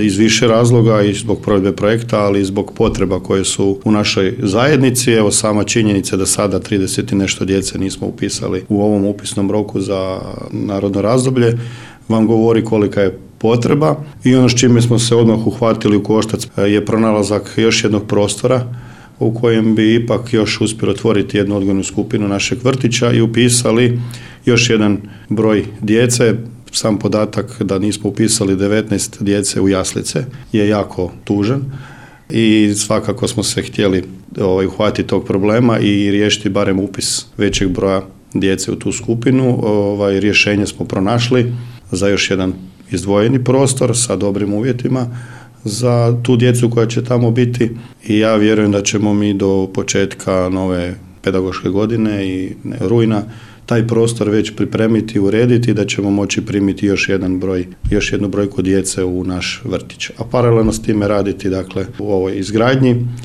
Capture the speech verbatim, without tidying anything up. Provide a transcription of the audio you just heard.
iz više razloga i zbog provedbe projekta, ali i zbog potreba koje su u našoj zajednici. Evo sama činjenica da sada trideset i nešto djece nismo upisali u ovom upisnom roku za narodno razdoblje vam govori kolika je potreba i ono s čime smo se odmah uhvatili u koštac je pronalazak još jednog prostora u kojem bi ipak još uspjeli otvoriti jednu odgojnu skupinu našeg vrtića i upisali još jedan broj djece. Sam podatak da nismo upisali devetnaest djece u jaslice je jako tužan i svakako smo se htjeli ovaj, uhvatiti tog problema i riješiti barem upis većeg broja djece u tu skupinu. Ovaj, rješenje smo pronašli za još jedan izdvojeni prostor sa dobrim uvjetima za tu djecu koja će tamo biti i ja vjerujem da ćemo mi do početka nove pedagoške godine i rujna taj prostor već pripremiti i urediti da ćemo moći primiti još jedan broj, još jednu brojku djece u naš vrtić. A paralelno s time raditi dakle u ovoj izgradnji